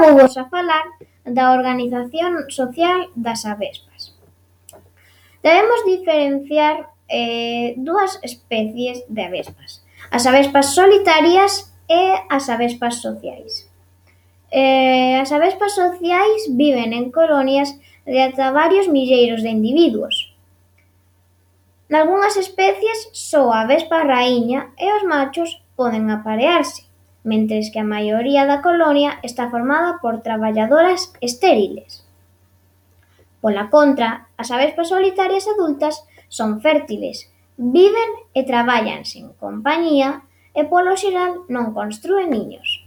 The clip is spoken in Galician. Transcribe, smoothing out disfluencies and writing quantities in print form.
vou vos a falar da organización social das avespas. Debemos diferenciar dúas especies de avespas: as avespas solitarias e as avespas sociais. As avespas sociais viven en colonias de ata varios milleiros de individuos. Nalgunhas especies, só a avespa raíña e os machos poden aparearse, mentres que a maioría da colonia está formada por traballadoras estériles. Pola contra, as avespas solitarias adultas son fértiles, viven e traballan sen compañía e polo xeral non constrúen niños.